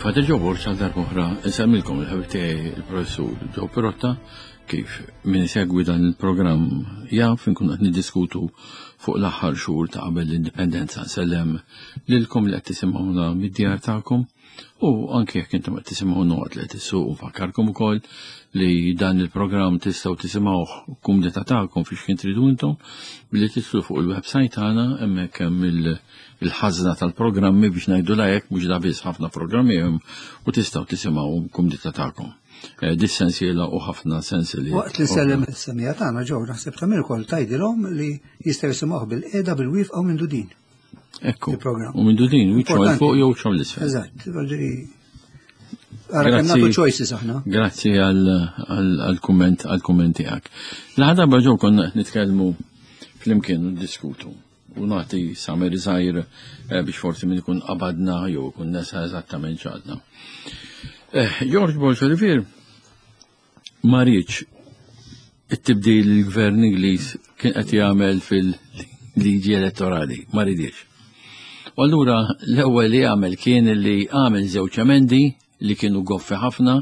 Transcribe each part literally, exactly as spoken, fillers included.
Jien Father Joe Borg, għal darb'oħra insellmilkom il-ħabib tiegħi, il-professur Joe Pirotta. Kif min isegwi dan il-programm jaf, inkun qed niddiskutu fuq l-aħħar xhur ta' qabel l-indipendenza. Nsellem lilkom li qed tisimgħuna mid-djar tagħkom u anke jekk intom qed tisimgħuna waqt li qed issuqu. Nfakkarkom ukoll li dan il-programm tistgħu tisimgħuh kumdità tagħkom fiex kien tridu intom billi tidħlu fuq il-website tagħna. Hemmhekk hemm il-ħażna tal-programmi, biex ngħidu hekk, mhux da biss, ħafna programmi hemm u tistgħu tisimgħu kumdità tagħkom. Eh, dis-sensiela u ħafna sensili. Waqt li sellem is-semmiegħa tagħna, ġew, naħseb tagħmel ukoll tgħidilhom li jistgħu jisimgħuh bil-qiegħda, bil-wieqfa u minn dudin. Ekku. U minn dudin, wiċċhom fuq jew wiċċhom l-isfel. Eżatt, Għara nagħtu choices aħna. Grazzi għal-kumment għal-kumment tiegħek. L-ħadba ġew konna nitkellmu flimkien u diskutu u nagħti summary żgħir eh, biex forsi min ikun qabadna jew ikun nesa eżattament x'għadna. Eh, George Borg Olivier ma riedx it-tibdil il-gvern Ingliż kien qed jagħmel fil-liġi elettorali, ma ridiex. U allura l-ewwel li għamel kien li għamel żewġ emendi li kienu goffi ħafna,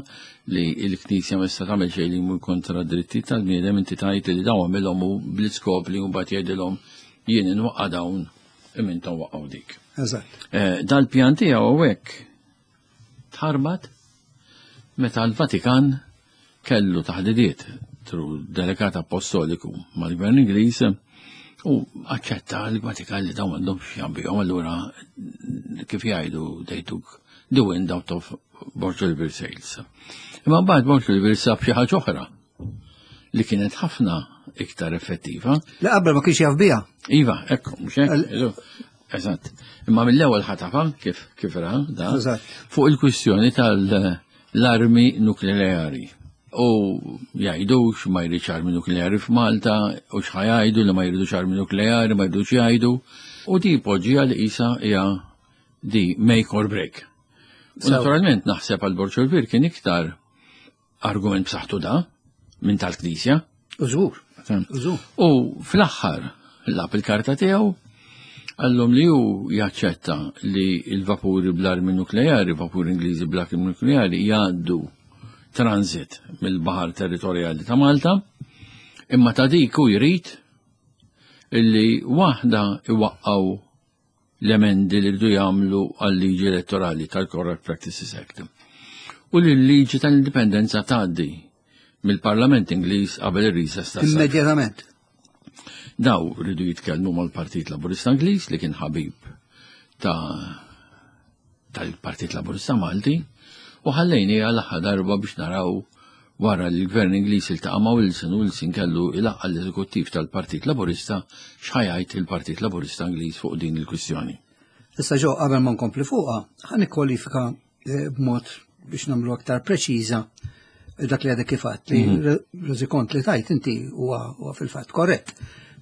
li l-Knisja ma tista' tagħmel xejn li jmur kontra d-dritti tal-bniedem. Inti tajt li dawn għamilhom u bl-iskop li mbagħad jgħidilhom: "Jien inwaqqa' dawn, imma intom waqqgħu dik." Eżatt. Eh, dal-pjan tiegħu hawnhekk tħarbat meta l-Vatikan kellu taħdidiet through delegat apostoliku mal-gvern Ingliż u aċċetta l-Vatikan li dawn għandhom x'jambihom. Allura, kif jgħidu, they took the wind out of Borg Olivier sails. Imma mbagħad Borg Olivier sab xi ħaġa oħra li kienet ħafna iktar effettiva. Li qabel ma kienx jaf biha. Iva, ekku, mhux hekk? Eżatt. Imma mill-ewwel ħatafa kif kif ra da fuq il-kwistjoni tal-armi nukleari. U jgħidux ma jridx armi nukleari f'Malta, u x'ħa jgħidu li ma jridux armi nukleari, ma jridux jgħidu. U di poġġija li isa hija di make or break. U naturalment naħseb għal Borg Olivier kien iktar argument b'saħħtu da minn tal-Knisja. Użur. U fl-aħħar lagħab il-karta tiegħu, għallhom li hu jaċċetta li il-vapuri bl-armi nukleari, vapuri Ingliżi bl-armi nukleari, jgħaddu transit mill-baħar territorjali ta' Malta, imma ta' dik hu jrid illi waħda iwaqqaw l-emendi li rridu jagħmlu għal-liġi elettorali tal-Corrupt Practices Act. U li l-liġi tal-indipendenza tgħaddi mill-Parlament Ingliż qabel ir-recess ta' Immedjatament. Daw rridu jitkellmu mal-Partit Laburista Ingliż, li kien ħabib ta' tal-Partit Laburista Malti, u ħallejni għal darba biex naraw wara li l-Gvern Ingliż iltaqa' ma' Wilson u Wilson kellu ilaqqa l-eżekuttiv tal-Partit Laburista, x'ħa jgħid il-Partit Laburista Ingliż fuq din il-kwistjoni. Issa ġo, qabel ma nkompli fuqha, ħa nikkwalifika eh, b'mod biex nagħmlu aktar preċiża dak li għadek kif għedt, li mhm. reżikont li tajt inti huwa fil-fatt korrett.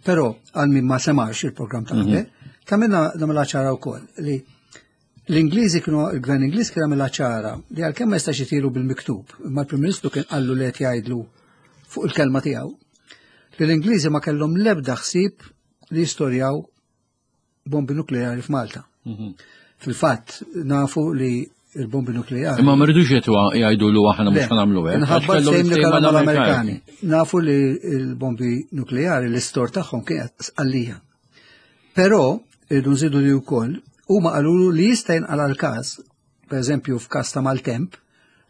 Però għal min ma semax il-programm ta' qabel, mhm. tagħmilna nagħmilha ċara wkoll li l-Ingliżi kienu, il-Gvern Ingliż kien għamilha ċara li għalkemm ma jistax itilu bil-miktub, imma l-Prim Ministru kien qallu li qed jgħidlu fuq il-kelma tiegħu li l-Ingliżi ma kellhom l-ebda ħsieb li jistorjaw bombi nukleari f'Malta. Mhm. Fil-fatt nafu li il-bombi nukleari. Imma ma rridux jetwa jgħidu lu aħna mhux nagħmlu hekk. Minħabba sejm li kellhom mal-Amerikani. Nafu li l-bombi nukleari l-istor tagħhom kienet Sqallija. Però irridu nżidu li wkoll huma qalulu li jista' jinqala l-każ, pereżempju f'każ ta' maltemp,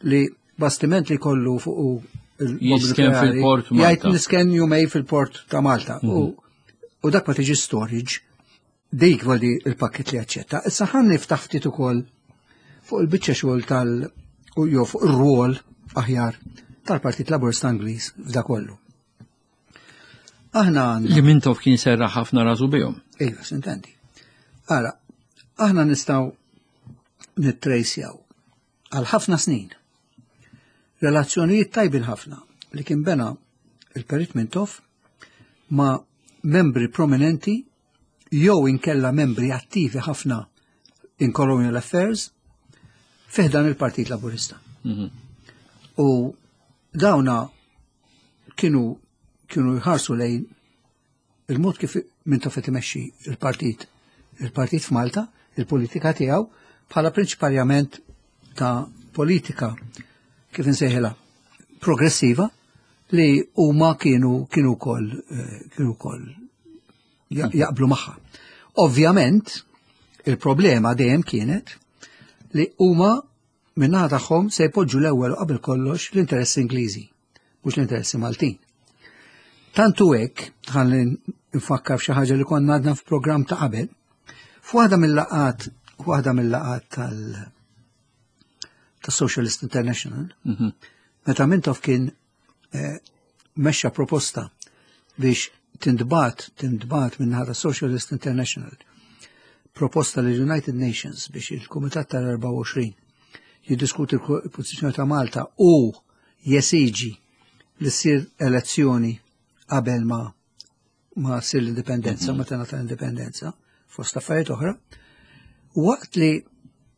li bastiment li kollu fuq il-bombi fil-port. Jgħid nisken jumejn fil-port ta' Malta. Mhm. U dak ma tiġi storage. Dik voli il-pakket li aċċetta. Issa ħan niftaħ ftit ukoll fuq il-biċċa xogħol tal u jew fuq ir-rwol aħjar tal-Partit Laburista Ingliż f'da kollu. Aħna li Mintoff kien serra ħafna rasu bihom. Iva, sintendi. Ara, aħna nistgħu nittrejsjaw għal ħafna snin relazzjonijiet tajbin ħafna li kien bena il-Perit Mintoff ma' membri prominenti jew inkella membri attivi ħafna in colonial affairs fi ħdan il-Partit Laburista. Mhm. U dawna kienu kienu jħarsu lejn il-mod kif Mintoff qed imexxi il-partit il-partit f'Malta, il-politika tiegħu, bħala prinċipalment ta' politika, kif insejħilha, progressiva, li huma kienu kienu wkoll eh, kienu wkoll jaqblu magħha. Ovvjament, il-problema dejjem kienet li huma min-naħa tagħhom se jpoġġu l-ewwel qabel kollox l-interessi Ingliżi, mhux l-interessi Maltin. Tantu hekk, ħalli nfakkar f'xi ħaġa li konna għadna f'programm ta' qabel, f'waħda mill-laqgħat, waħda mill-laqgħat tal ta' Socialist International, mhm. meta Mintoff kien eh, mexxa proposta biex tintbagħat, tintbagħat minn ta' Socialist International, proposta l United Nations biex il-Kumitat tal-erbgħa u għoxrin jiddiskuti l-pożizzjoni ta' Malta u jesiġi li ssir elezzjoni qabel ma ma ssir l-indipendenza, mm -hmm. ma tingħata l-indipendenza, fost affarijiet oħra, waqt li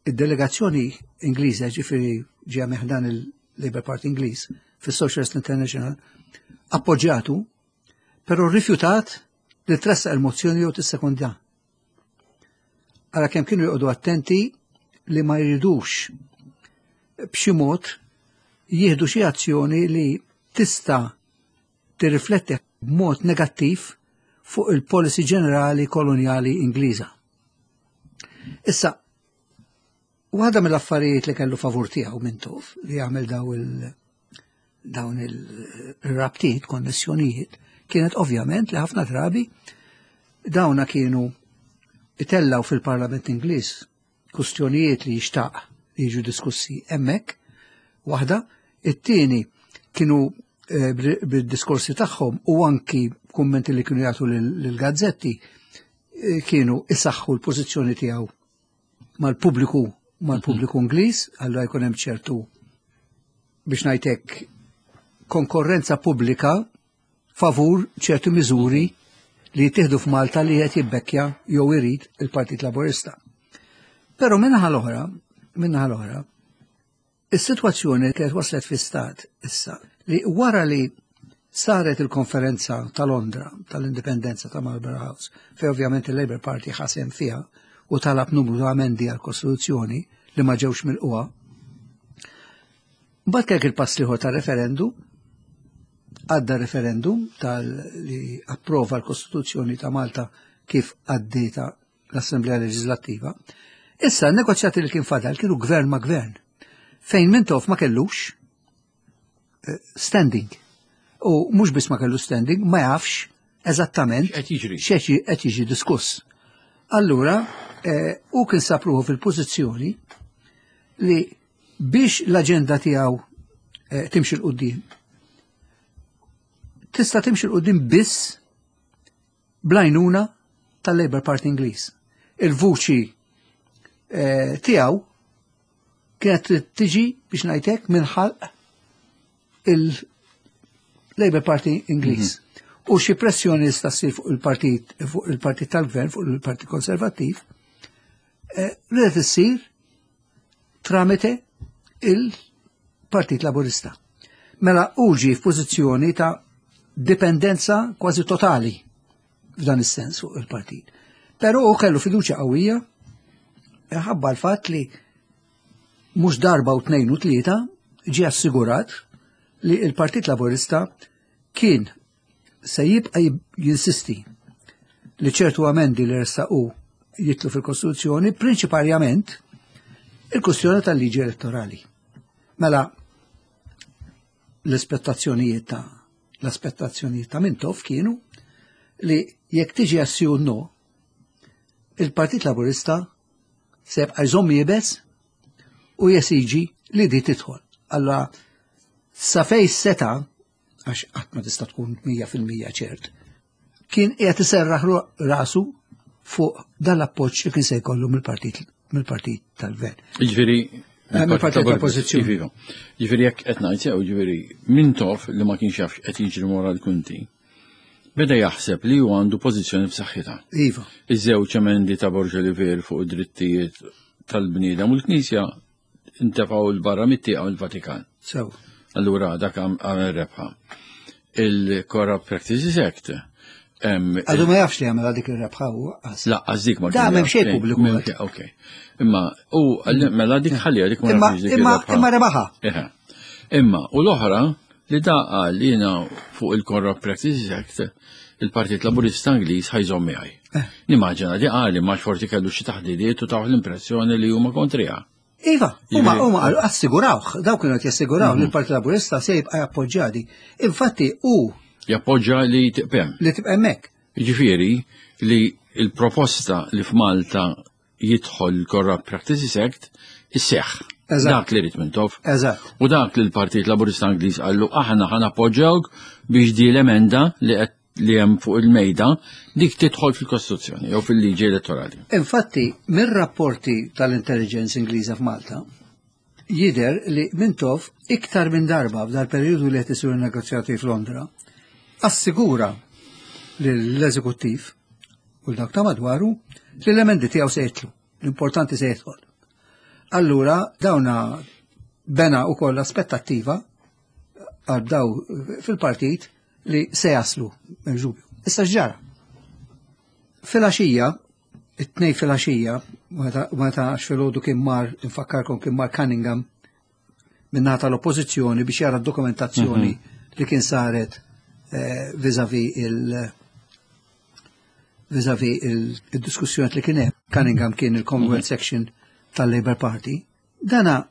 id-delegazzjoni Ingliża, ġifieri ġie minn ħdan il-Labour Party Ingliż fis-Socialist International, appoġġjatu, però rifjutat li tressaq il-mozzjoni jew tissekondja. Ara kemm kienu joqogħdu attenti li ma jridux b'xi mod jieħdu xi azzjoni li tista' tirrifletti b'mod negattiv fuq il-policy ġenerali koloniali Ingliża. Issa, waħda mill-affarijiet li kellu favur tiegħu Mintoff li jagħmel daw il dawn il-rabtiet, konnessjonijiet, kienet ovvjament li ħafna drabi dawna kienu itellaw fil-Parlament Ingliż kustjonijiet li jixtaq li jiġu diskussi hemmhekk, waħda, it-tieni kienu eh, bid-diskorsi tagħhom u anki kummenti li kienu jagħtu lill-gazzetti eh, kienu isaħħu l-pożizzjoni tiegħu mal-pubbliku mal-pubbliku Ingliż, allura jkun hemm ċertu, biex ngħidlek, konkorrenza pubblika favur ċertu miżuri li jittieħdu f'Malta li qed jibbekkja jew irid il-Partit Laburista. Però min-naħa l-oħra, min-naħa l-oħra, is-sitwazzjoni kienet waslet fi stat issa li wara li saret il-konferenza ta' Londra tal-indipendenza ta' Marlborough House, fej ovvjament il-Labour Party ħa sehem fiha u talab numru ta' amendi għal-Kostituzzjoni li ma ġewx milqugħa. Mbagħad kellek il-pass l-ieħor ta' referendum, għadda referendum tal li approva l-Kostituzzjoni ta' Malta kif għaddieta l-Assemblea Leġislattiva. Issa, n-negozjati li kien fadal kienu gvern ma' gvern, fejn Mintoff ma kellux eh, standing. U mhux biss ma kellu standing, ma jafx eżattament Qed jiġri. x'qed jiġi diskuss. Allura, eh, u kien sab ruħu fil-pożizzjoni li biex l-aġenda tiegħu eh, timxi 'l quddiem, tista' timxi 'l quddiem biss bl-għajnuna tal-Labour Party Ingliż. Il-vuċi eh, tiegħu kienet tiġi, biex ngħidlek, minn ħalq il-Labour Party Ingliż. U xi pressjoni tista' ssir fuq il-partit fuq il-partit tal-gvern, fuq il-Partit Konservattiv, eh, ridet issir tramite il-Partit Laburista. Mela hu ġie f'pożizzjoni ta' dipendenza kważi totali f'dan is-sens fuq il-partit. Però hu kellu fiduċja qawwija ħabba l-fatt li mhux darba u tnejn u tlieta ġie assigurat li il-Partit Laburista kien se jibqa' jinsisti li ċertu amendi li ressaqu jidħlu fil-Kostituzzjoni, prinċipalment il-kustjoni tal-liġi elettorali. Mela l-aspettazzjonijiet ta' l-aspettazzjonijiet ta' Mintoff kienu li jekk tiġi għas-sì u no, il-Partit Laburista se jibqa' jżomm iebes u jesiġi li di tidħol. Allora, sa fej seta, għax qatt ma tista' tkun mija fil-mija ċert, kien qiegħed iserraħ rasu fuq dan l-appoġġ li kien se jkollu mill-partit mill-partit tal-gvern. Ġifieri Eh, mill-partit tal-oppożizzjoni. Iva. Ġifieri jekk qed ngħid sew, ġifieri Mintoff li ma kienx jaf qed jiġri wara l-kwinti, beda jaħseb li hu għandu pożizzjoni b'saħħitha. Iva. Iż-żewġ emendi ta' Borg Olivier fuq id-drittijiet tal-bniedem u l-Knisja intefgħu 'l barra mit-tieqa mill-Vatikan. Sew. Allura dak għamel rebħa. Il-Corrupt Practices Act Għadu ma jafx li għamela dik ir-rebħa u Laqqas dik ma Da m'hemm xejn pubbliku. Ok. Imma u mela dik ħalli dik ma nafx dik Imma rebaħa. Imma u l-oħra li da qal jiena fuq il-Corrupt Practices Act il-Partit Laburista Ingliż ħa jżomm miegħi. Eh. Nimmaġina di qal imma forsi kellu xi taħdidiet u tawh l-impressjoni li huma kontriha. Iva, huma huma assigurawh, dawk kienu qed jassiguraw li l-Partit Laburista se jibqa' jappoġġjadi. Infatti hu jappoġġa li tibqa' hemm. Li tibqa' hemmhekk. Jiġifieri li il-proposta li f'Malta jidħol il-Corrupt Practices Act isseħ. Dak li rrid Mintoff. Eżatt. U dak li l-Partit Laburista Ingliż qallu aħna ħa nappoġġawk biex di l-emenda li qed li hemm fuq il-mejda dik tidħol fil-Kostituzzjoni jew fil-liġi elettorali. Infatti, mir-rapporti tal-intelligence Ingliża f'Malta, jider li Mintoff iktar minn darba f'dal periodu li qed isiru negozjati f'Londra, assigura l-eżekuttiv u l-dak ta' madwaru li l-emendi tiegħu se jitlu, l-importanti se jidħol. Allura dawna bena u koll aspettattiva għal daw fil-partit li se jaslu, m'hemmx dubju. Issa x'ġara. Filgħaxija, it-Tnejn filgħaxija, meta għax filgħodu kien mar, infakkarkom kien mar Cunningham min-naħa tal-oppożizzjoni biex jara d-dokumentazzjoni mhm. li kien saret eh, vis-a-vis il- vis-a-vis il-diskussjoni li kien hemm. Cunningham kien il-Commonwealth mhm. Section tal-Labour Party. Dana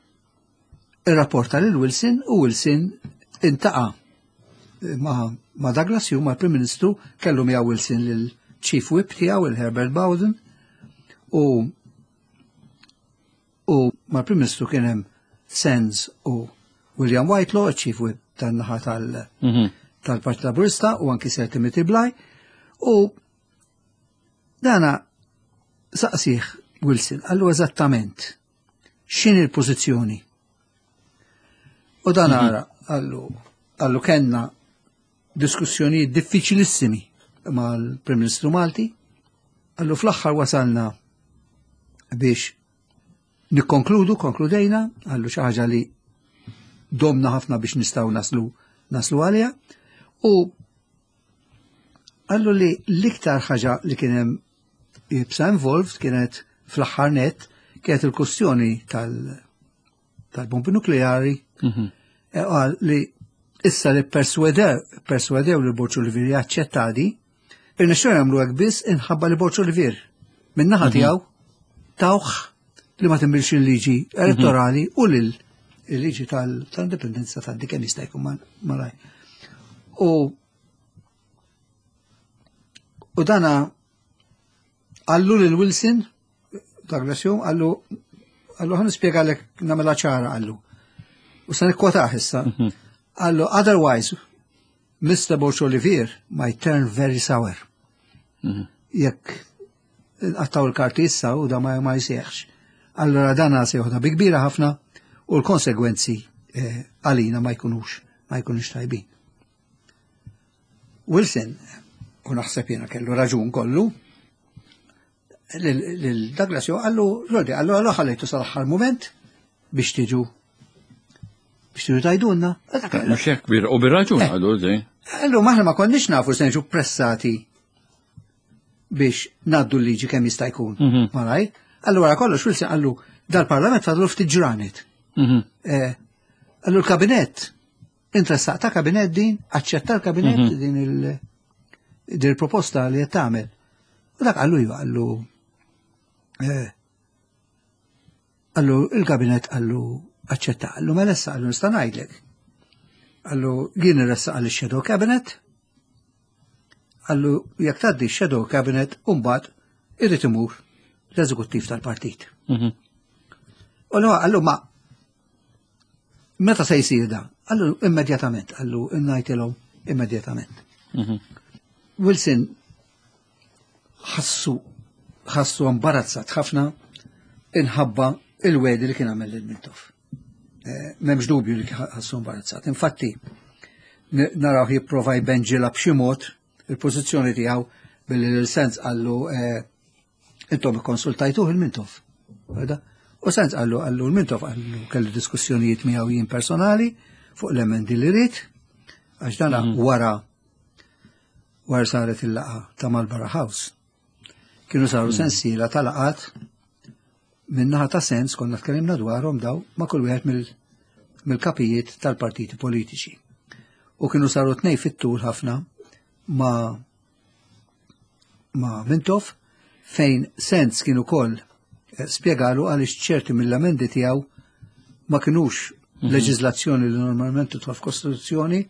irrapporta lil Wilson u Wilson iltaqa' ma, ma Douglas Home, ma' Prim Ministru, kellu miegħu Wilson lil Chief Whip tiegħu il-Herbert Bowden u u mal-Prim Ministru kien hemm Sands u William Whitelaw, Chief Whip tan-naħa tal- mhm. tal-Partit Laburista u anki Sir Timothy Bligh u dana saqsih Wilson, qallu eżattament x'inhi l-pożizzjoni. U dan mhm. ara, qallu, qallu kellna diskussjoni diffiċilissimi mal-Prim Ministru Malti, qallu fl-aħħar wasalna biex nikkonkludu, konkludejna, qallu xi ħaġa li domna ħafna biex nistgħu naslu naslu għalija, u qallu li l-iktar ħaġa li kien hemm iebsa involved kienet fl-aħħar net kienet il-kustjoni tal-bombi nukleari mhm. e qal li issa li perswedew perswedew li Borg Olivier jaċċetta di, irnexxew jagħmlu hekk biss inħabba li Borg Olivier min-naħa mhm. tiegħu tawh li ma tinbidilx il-liġi elettorali u lil il-liġi tal-indipendenza tal kemm jista' jkun malaj. U u dana qallu lil Wilson, Douglas Home, qallu qallu ħa nispjegalek nagħmilha ċara qallu. U sa nikkwotah issa. Mhm. Qallu, otherwise, Mister Borg Olivier might turn very sour. Mhm. Jekk għattaw il-karti issa u da ma ma jsieħx. Allora dana se joħda bi kbira ħafna u l-konsegwenzi eh, għalina ma jkunux ma jkunux tajbin. Wilson, u naħseb jiena kellu raġun kollu, lil Douglas Home qallu, Rodi, qallu għallu ħallejtu sal-aħħar moment biex tiġu biex tiġu tgħidulna. Mhux hekk u bir-raġun eh. qallu di. Qallu maħna ma konniex nafu se niġu pressati biex ngħaddu l-liġi kemm jista' jkun. Mhm. Malaj. Allura kollox Wilson qallu dal-parlament fadlu ftit ġranet. Mhm. Eh, qallu l-kabinett, interessat ta' kabinett din, aċċetta l-kabinett mhm. din il- din il-proposta li qed tagħmel. U dak qallu iva, qallu eh, qallu il-kabinett qallu aċċetta, qallu mela issa qallu nista' ngħidlek. Qallu jien irressaq għal shadow cabinet, qallu jekk tgħaddi shadow cabinet u mbagħad irid imur l-eżekuttiv tal-partit. Mhm. U qallu ma meta se jsir da? Qallu immedjatament, qallu ngħidilhom immedjatament. Mhm. Wilson ħassu ħassu imbarazzat ħafna inħabba il-wegħdi li kien għamel lil Mintoff. Eh, m'hemmx dubju li ħassu imbarazzat. Infatti, naraw jipprova jbenġilha b'xi mod il-pożizzjoni tiegħu billi l-Sands qallu eh, intom ikkonsultajtuh il-Mintoff. U Sands qallu qallu l-Mintoff qallu kelli diskussjonijiet miegħu jien personali fuq l-emendi li rrid, għax dana mhm. wara Wara saret il-laqgħa ta' Marlborough House. Kienu saru mm. sensiela ta' laqgħat min-naħa ta' Sands, konna tkellimna dwarhom daw, ma' kull wieħed mill-kapijiet tal-partiti politiċi. U kienu saru tnej fit-tul ħafna ma' ma' Mintoff, fejn Sands kienu koll eh, spjegalu għaliex ċerti mill-amendi tiegħu ma kinux mhm. leġiżlazzjoni li normalment tidħol f'kostituzzjoni.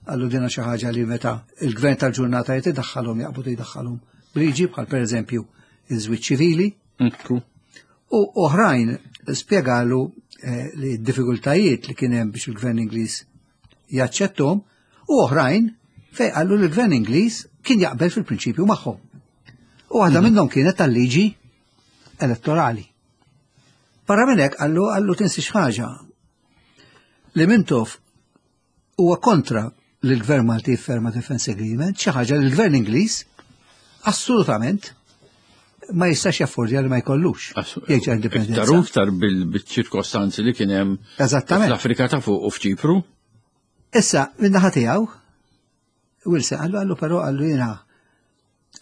Għallu dina xi ħaġa li meta il-gvern tal-ġurnata jrid idaħħalhom, jaqbdu jdaħħalhom b'liġi, bħal pereżempju iż-żwieġ ċivili. U oħrajn spjegalu eh, li d-diffikultajiet li kien hemm biex il-gvern Ingliż jaċċettom, u oħrajn fej qallu li l-gvern Ingliż kien jaqbel fil-prinċipju magħhom. U waħda mhm. minnhom kienet tal-liġi elettorali. Barra minn hekk qallu qallu tinsiex ħaġa, li Mintoff huwa kontra li l-gvern Malti jifferma Defense Agreement, xi ħaġa li l-gvern Ingliż assolutament ma jistax jaffordja li ma jkollux. Jgħid indipendenza. Iktar iktar bil-ċirkostanzi li kien hemm fl-Afrika ta' fuq u f'Ċipru. Issa, minn naħa tiegħu, Wilson qallu qallu però, qallu jiena,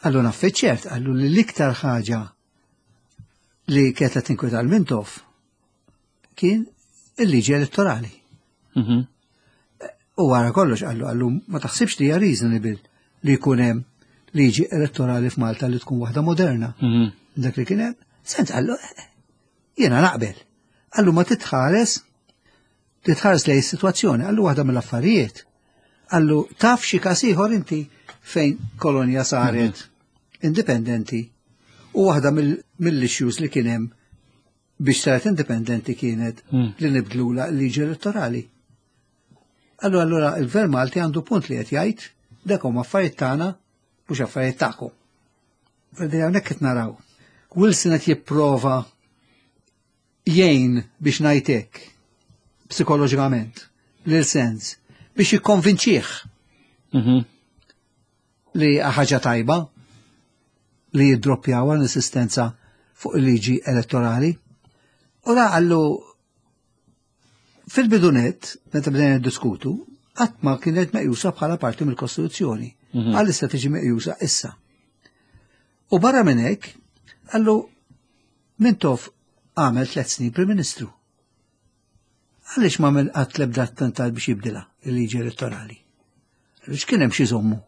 qallu naf ċert, qallu li l-iktar ħaġa li kienet tinkweta l-Mintoff kien il-liġi elettorali. Mhm. U wara kollox qallu qallu ma taħsibx li hija reasonable li jkun hemm liġi elettorali f'Malta li tkun waħda moderna? Mhm. Dak li kien hemm. Sands qallu, jiena naqbel. Qallu ma titħares titħares lej is-sitwazzjoni, qallu waħda mill-affarijiet. Qallu taf xi każ ieħor inti fejn kolonja saret mhm. indipendenti u waħda mill-issues li kien hemm biex saret indipendenti kienet mm. li nibdlula l-liġi elettorali? Allura allura il-Gvern Malti għandu punt li qed jgħid dak huma affarijiet tagħna, mhux affarijiet tagħkom. Fedi hawnhekk qed naraw. Wilson qed jipprova jgħin, biex ngħidlek, psikoloġikament lil Sands biex jikkonvinċih mhm. li ħaġa tajba li jiddroppjaw l-insistenza fuq il-liġi elettorali. U da qallu fil-bidunet, meta bdejna diskutu, qatt ma kienet meqjusa bħala parti mill-Kostituzzjoni. Mhm. Għal issa tiġi meqjusa issa. U barra minn hekk, qallu Mintoff għamel tliet snin Prim Ministru. Għaliex ma għamel qatt l-ebda attentat biex jibdilha il-liġi elettorali? Għaliex kien hemm xi żommu?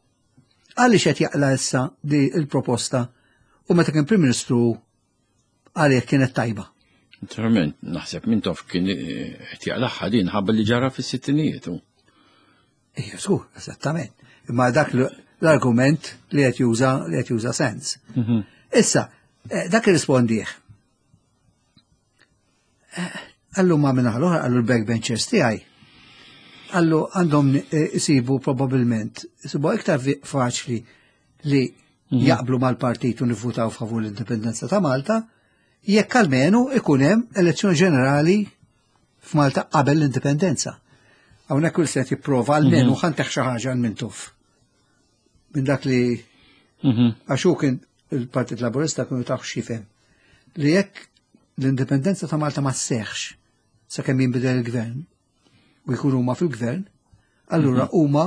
Għaliex qed jaqla issa di il-proposta u meta kien Prim Ministru għalih kienet tajba? Naturalment, naħseb Mintoff kien eh, qed jaqlaħħa din ħabba li ġara fis-sittinijiet. Ija, żgur, eżattament. Imma dak l-argument li qed juża li qed juża Sands. Mhm. Issa, eh, dak irrispondih. Eh, qallu ma minna l-oħra, qallu l-backbenchers tiegħi. Qallu għandhom isibu probabbilment, isibu iktar faċli li mhm. jaqblu mal-partit u nivvutaw favur l-indipendenza ta' Malta jekk almenu ikun hemm elezzjoni ġenerali f'Malta qabel l-indipendenza. Hawnhekk kull set jipprova almenu mhm. ħa ntih xi ħaġa Mintoff. Minn dak li mhm. għax hu kien il-Partit Laburista kienu taħ xifem li jekk l-indipendenza ta' Malta ma sseħħx sakemm jinbidel il-gvern u jkunu huma fil-gvern, allura mhm. huma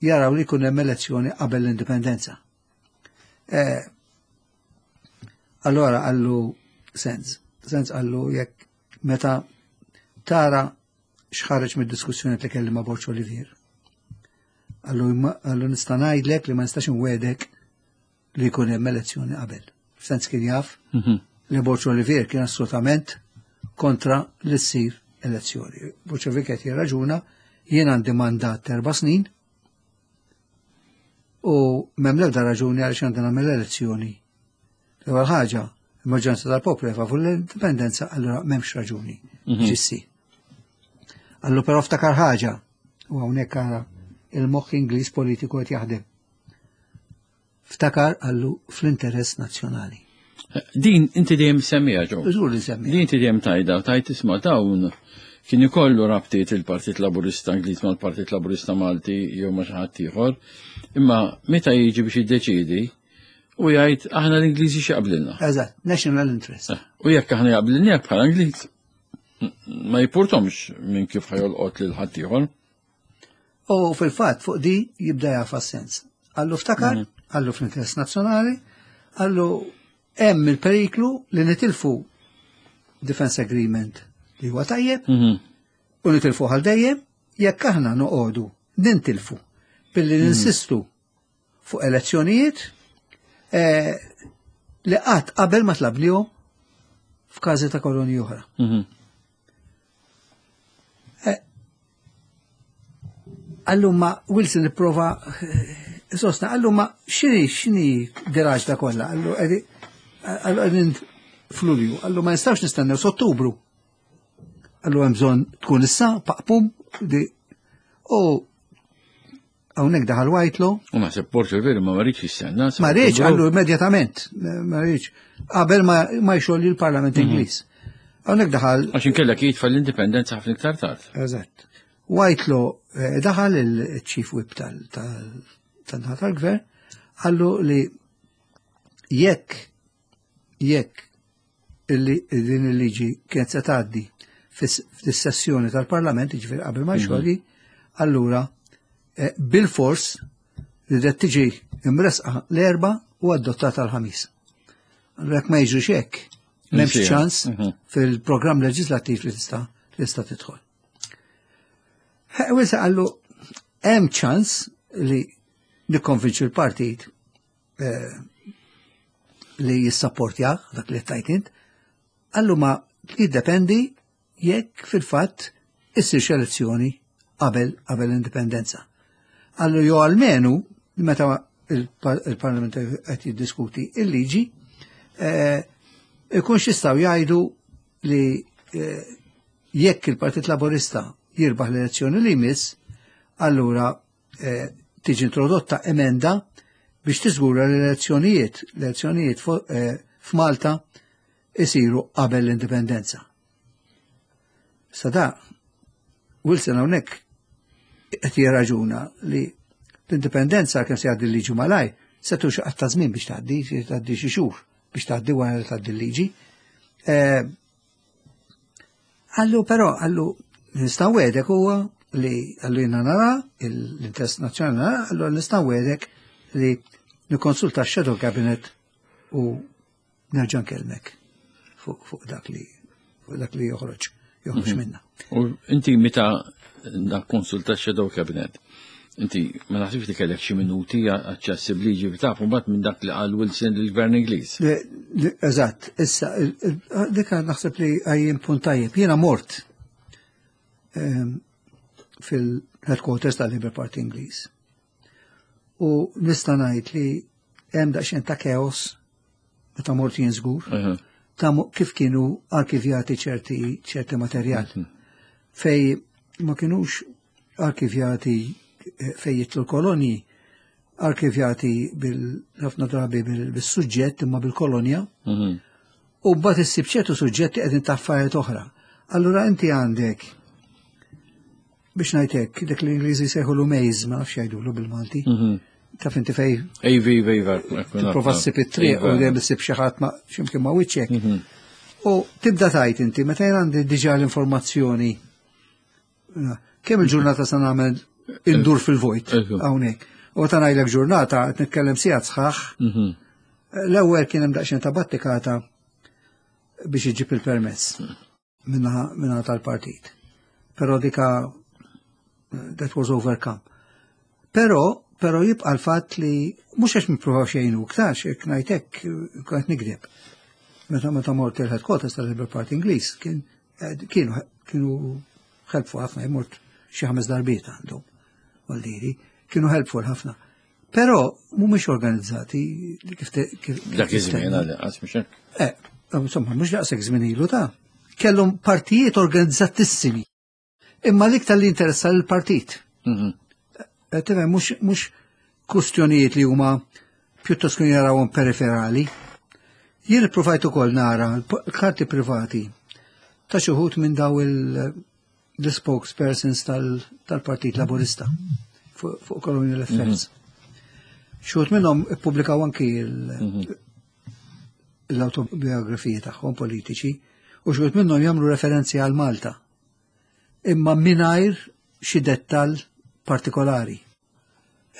jaraw li jkun hemm elezzjoni qabel l-indipendenza. Eh, allora qallu Sands, Sands qallu jekk meta tara x'ħareġ mid-diskussjoni li kelli ma' Borg Olivier. Qallu qallu nista' ngħidlek li ma nistax inwegħdek li jkun hemm elezzjoni qabel. Sands kien jaf mhm. li Borg Olivier kien assolutament kontra li ssir elezzjoni. Borg Olivier qed jirraġuna, jien għandi mandat erba' snin u m'hemm l-ebda raġuni għaliex għandna nagħmel elezzjoni. L-ewwel ħaġa, il-maġġoranza tal-poplu favur l-indipendenza, allura m'hemmx raġuni mhm. ġissi. Qallu però ftakar ħaġa, u hawnhekk ara il-moħħ Ingliż politiku qed jaħdem. Ftakar, qallu, fl-interess nazzjonali. Din inti dejjem semmija ġo. Żgur li semmija. Din inti dejjem tajda, tajt isma' dawn kien ikollu rabtiet il-Partit Laburista Ingliż mal-Partit Laburista Malti jew ma' xi ħadd ieħor, imma meta jiġi biex jiddeċiedi u jgħid aħna l-Ingliżi x'jaqblilna. Eżatt, national interest. Eh, u jekk aħna jaqblilna bħala Ingliż, ma jimpurtahomx minn kif ħa jolqot lil ħaddieħor. U fil-fatt fuq di jibda jafa sens. Qallu ftakar, qallu fl-interess nazzjonali, qallu hemm il-periklu li nitilfu Defense Agreement li huwa tajjeb Mhm. u nitilfu għal dejjem jekk aħna noqogħdu nintilfu billi ninsistu fuq elezzjonijiet eh, li qatt qabel ma tlabnihom f'każi ta' kolonji oħra. Mhm. Eh, Qallu ma Wilson ipprova eh, sostna, qallu ma x'inhi x'inhi diraġ da kollha, qallu qegħdi- qallu qegħdin f'Lulju, qallu ma nistgħux nistennew s'Ottubru. Qallu hemm bżonn tkun issa, paqpum, di u hawnhekk daħal Whitelaw, U naħseb Porter veru ma riedx jistenna. ma riedx, qallu immedjatament, ma riedx, qabel ma, ma jxolli l-Parlament Ingliż. Hawnhekk daħal Għax inkella jitfa l-indipendenza ħafna iktar tard. Eżatt. Whitelaw eh, daħal il-chief whip tal- tal- tan-naħa tal-gvern, qallu li jekk jekk illi din il-liġi kienet se tgħaddi fis-sessjoni tal-Parlament, jiġifieri qabel ma jxolli, allura eh, bil-fors li qed tiġi imresqa l-Erbgħa u adottata l-Ħamis. Allura jekk ma jiġrix hekk, m'hemmx Insija. ċans Mhm. fil-programm leġislattiv li tista' li tista' tidħol. Wilson qallu hemm ċans li nikkonvinċu l-partit eh, li jissapportja dak li tajt int, qallu ma jiddependi jekk fil-fatt issir elezzjoni qabel qabel l-indipendenza. Qallu jew almenu meta il-Parlament qed jiddiskuti il-liġi, eh, ikunx jistgħu jgħidu li eh, jekk il-Partit Laborista jirbaħ l-elezzjoni li jmiss, allura eh, tiġi introdotta emenda biex tiżgura l-elezzjonijiet, l-elezzjonijiet f'Malta isiru qabel l-indipendenza. Sada, Wilson hawnhekk qed jirraġuna li l-indipendenza kemm se jgħaddi l-liġi malaj, se tux ta' żmien biex tgħaddi, tgħaddi xi xhur biex tgħaddi wara li tgħaddi l-liġi. Qallu però, qallu nista' nwegħdek huwa li qallu jiena nara l-interess nazzjonali nara, qallu nista' nwegħdek li nikkonsulta x-Shadow Cabinet u nerġa' nkellmek fuq dak li fuq dak li joħroġ joħroġ mhm. minna. U inti meta da konsulta Shadow Cabinet, inti ma naħsibx li kellek xi minuti aċċessibbli ġifi taf mbagħad minn dak li qal Wilson lill-Gvern Ingliż. Eżatt, issa dik naħseb li għajjem punt tajjeb. Jiena mort ehm, fil-headquarters tal-Labour Party Ingliż. U nista' ngħid li hemm daqsxejn ta' chaos meta mort jien żgur ta' kif kienu arkivjati ċerti ċerti materjal. Mhm. Fej ma kienux arkivjati eh, fej jitlu l-kolonji, arkivjati bil-ħafna drabi bil-suġġett imma bil-kolonja. Mhm. U mbagħad issib ċertu suġġetti qegħdin ta' affarijiet oħra. Allura inti għandek biex ngħidlek dak l-Ingliżi sejħu maze, ma nafx jgħidulu bil-Malti. Mhm. Taf inti fej Ejvi, iva, tipprova ssib it-triq u dejjem issib xi ħadd ma x'imkien ma wiċċek. Mhm. U tibda tajt inti meta jien għandi diġà l-informazzjoni kemm il-ġurnata se nagħmel indur fil-vojt hawnhekk. U ta' ngħidlek ġurnata qed nitkellem sigħat sħaħ. Mhm. L-ewwel kien hemm daqsxejn ta' battikata biex iġib il-permess minna tal-partit. Però dika that was overcome. Però, però jibqa l-fatt li mhux għax nippruvaw xejn u ktax, jekk ngħidlek kont nikdeb. Meta meta mort il-headquarters tal-Labour Party Ingliż kien kienu kienu helpful ħafna, mort xi ħames darbiet għandhom, għaldiri, kienu helpful ħafna. Però mhumiex organizzati kif kif Dak iż-żmien għal mhux hekk. Eh, insomma, mhux daqshekk żmien ilu ta' kellhom partijiet organizzatissimi. Imma l-iktar li interessa l-partit. Mhm. Eh, Tifhem, mhux mhux kustjonijiet li huma pjuttost kienu jarawhom periferali. Jien ippruvajt ukoll nara l-karti privati ta' xi wħud minn daw il-spokespersons tal-Partit Laburista fuq Colonial Affairs. Xi wħud minnhom ippubblikaw anki l-autobiografiji tagħhom politiċi u xi wħud minnhom jagħmlu referenzi għal Malta. Imma mingħajr xi dettal partikolari.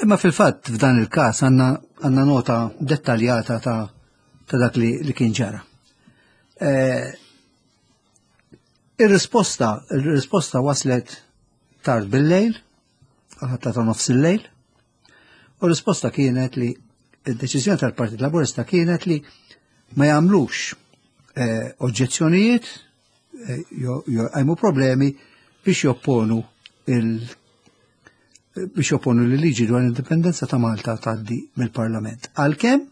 Imma fil-fatt f'dan il-każ għandna għandna nota dettaljata ta' ta' dak li, li kien ġara. Eh, Ir-risposta, il-risposta waslet tard bil-lejl, għal ta' nofs il-lejl, u r-risposta kienet li id-deċiżjoni tal-Partit Laburista kienet li ma jagħmlux eh, oġġezzjonijiet eh, jew jqajmu problemi biex jopponu il biex jopponu li liġi dwar l-indipendenza ta' Malta tgħaddi mill-Parlament. Għalkemm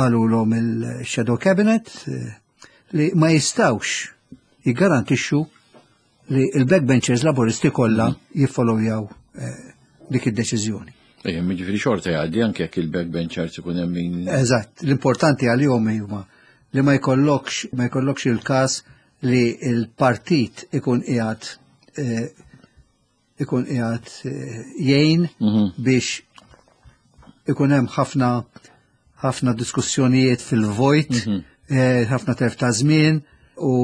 qalulhom il-Shadow Cabinet eh, li ma jistawx jiggarantixxu li il-backbenchers Laburisti kollha jiffollowjaw eh, dik id-deċiżjoni. Ejja, jiġifieri xorta jgħaddi anke jekk il-backbenchers ikun hemm min. Eżatt, l-importanti għalihom huma li ma jkollokx ma jkollokx il-każ li il-partit ikun qiegħed eh, ikun qiegħed eh, jgħin Mhm. biex ikun hemm ħafna ħafna diskussjonijiet fil-vojt, eh, ħafna telf ta' żmien u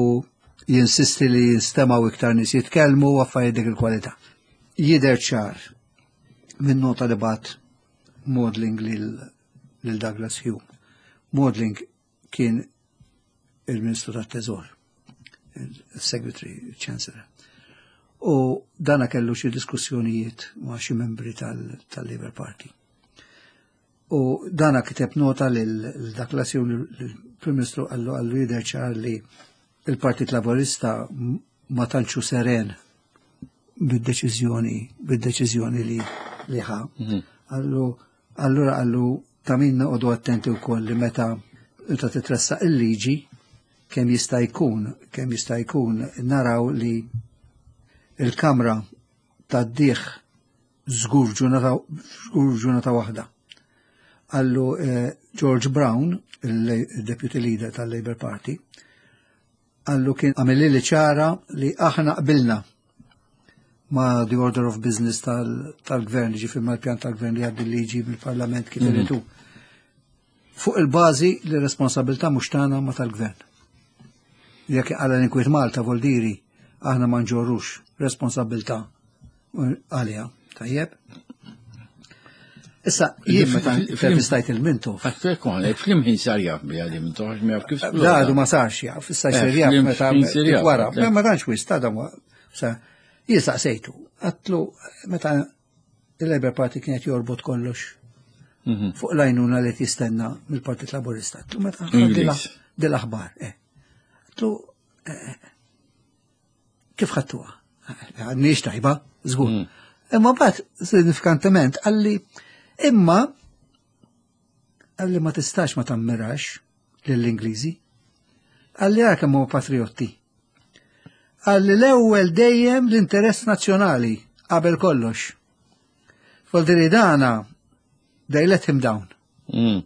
jinsisti li jinstemaw iktar nies jitkellmu u affarijiet dik il-kwalità. Jidher ċar minn nota li bagħat Maudling lil, lil Douglas Hume. Maudling kien il-Ministru tat-Teżor, il-Secretary Chancellor. U dana kellu xi diskussjonijiet ma' xi membri tal- tal-Labour Party. U dana kiteb nota lil Douglas Hume, l-Prim Ministru, qallu qallu jidher ċar li il-Partit Laburista ma tantxu seren bid-deċiżjoni bid-deċiżjoni li li ħa. Qallu allura qallu ta' min noqogħdu attenti wkoll li meta meta titressaq il-liġi kemm jista' jkun kemm jista' jkun naraw li il-Kamra tgħaddih żgur ġurnata żgur ġurnata waħda. Qallu eh, George Brown, il-deputy leader tal-Labour Party, qallu kien għamilli li ċara li aħna qbilna ma' the order of business tal-gvern, ġifieri mal-pjan tal-gvern li għaddi liġi mill-parlament kif iridu. Fuq il-bażi li responsabilità mhux tagħna ma tal-gvern. Jekk għala l-inkwiet Malta voldiri aħna ma nġorrux responsabilità għalija. Tajjeb? Issa, jien meta intervistajt il-Mintoff. Għattek f'liema ħin sar jaf bi għadi Mintoff, ma jaf kif. Da, għadu ma sarx jaf, issa Eh, jsir jaf flim- meta flim sir jaf, wara. għatlek. Ma tantx wisq, ta' dan sa jien saqsejtu, għedtlu meta il-Labour Party kienet jorbot kollox Mhm. fuq l-għajnuna li tistenna mill-Partit Laburista. Għedtlu meta Ingliż. dil-aħbar, eh. Għedtlu eh, kif ħadtuha? Għadniex tajba, żgur. Mm. Imma bat signifikantement qalli imma qalli ma tistax ma tammirax lill-Ingliżi. Qalli għara kemm huma patriotti. Qalli l-ewwel dejjem l-interess nazzjonali qabel kollox. Voldiri dana they let him down Mm.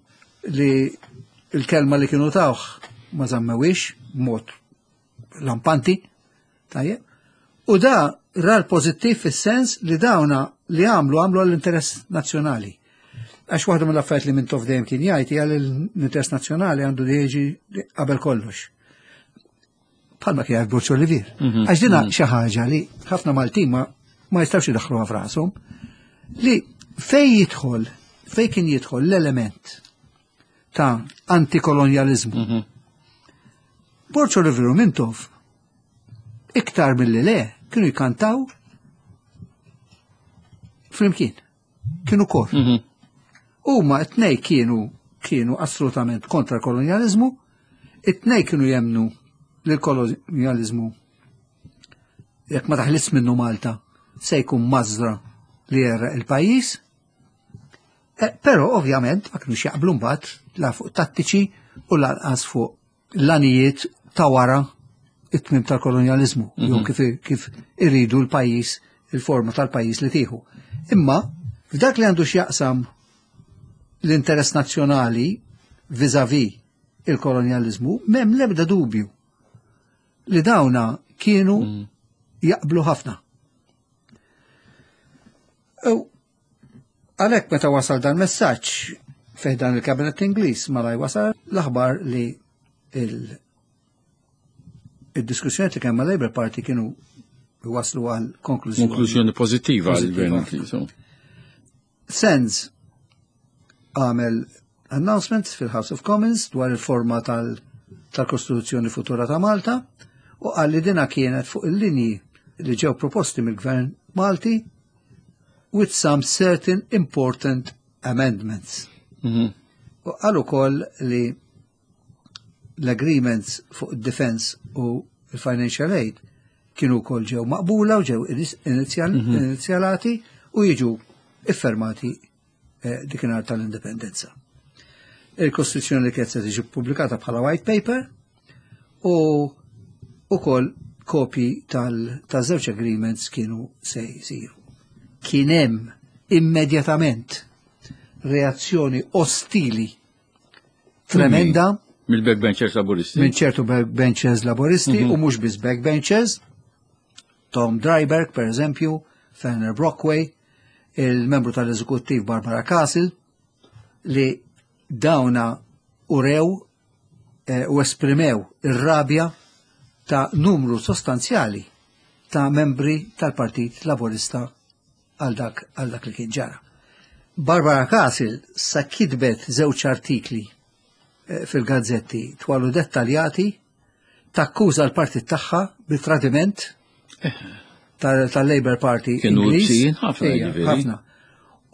li il-kelma li kienu tawh ma żammewix mod lampanti, tajjeb. U da ra l-pozittiv fis-sens li dawna li għamlu għamlu għall-interess nazzjonali. Għax waħda mill-affarijiet li Mintoff dejjem kien jgħid hija li l-interess nazzjonali għandu jiġi qabel kollox. Bħalma kien jgħid Borg Olivier. Mhm. Għax dina xi ħaġa li ħafna Maltin ma ma jistgħux idaħħluha f'rashom li fej jidħol, fej kien jidħol l-element ta' antikolonjalizmu. Mhm. Borg Olivier u Mintoff iktar mill-li le kienu jkantaw flimkien. Kienu kor. Mhm. Huma it-tnej kienu kienu assolutament kontra l-kolonjalizmu, it-tnej kienu jemnu li l-kolonjalizmu jekk ma taħlis minnu Malta se jkun mażra li jgħerraq il-pajjiż. Eh, Però ovvjament ma kienux jaqblu mbagħad la fuq tattiċi u lanqas fuq l-għanijiet ta' wara it-tmim tal-kolonjalizmu, jew kif, kif irridu l-pajjiż, il-forma tal-pajjiż li tieħu. Imma f'dak li għandu x'jaqsam l-interess nazzjonali vis-à-vis il-kolonjalizmu, m'hemm lebda dubju li dawna kienu jaqblu ħafna. U għalhekk meta wasal dan messaġġ fih dan il-kabinet Ingliż malaj wasal l-aħbar li il- il-diskussjoni li kemm ma' Labour Party kienu waslu għal konklużjoni. Konklużjoni pożittiva għall-gvern Ingliż. Sands għamel announcement fil-House of Commons dwar il-forma tal-Kostituzzjoni futura ta' Malta u qal li dina kienet fuq il-linji li ġew proposti mill-Gvern Malti with some certain important amendments. Mhm. U qal ukoll li l-agreements fuq defense u il-financial aid kienu wkoll ġew maqbula u ġew inizjal- inizjalati u jiġu iffermati eh, dikinhar tal-indipendenza. Il-Kostituzzjoni li kienet se tiġi pubblikata bħala white paper u ukoll kopji tal-żewġ agreements kienu se jsiru. Kien hemm immedjatament reazzjoni ostili tremenda Mill-backbenchers laburisti. minn ċertu backbenchers laboristi u mhux biss backbenchers, Tom Driberg, per eżempju, Fenner Brockway, il-membru tal-eżekuttiv Barbara Castle, li dawna urew eh, u esprimew ir-rabja ta' numru sostanzjali ta' membri tal-Partit Laborista għal dak għal dak li kien ġara. Barbara Castle sa kitbet żewġ artikli eh, fil-gazzetti twalu dettaljati takkuża l-partit tagħha bit-tradiment tal- tal-Labour Party Kienu Ingliż. ibsin ħafna, Ejja, jiġifieri. ħafna.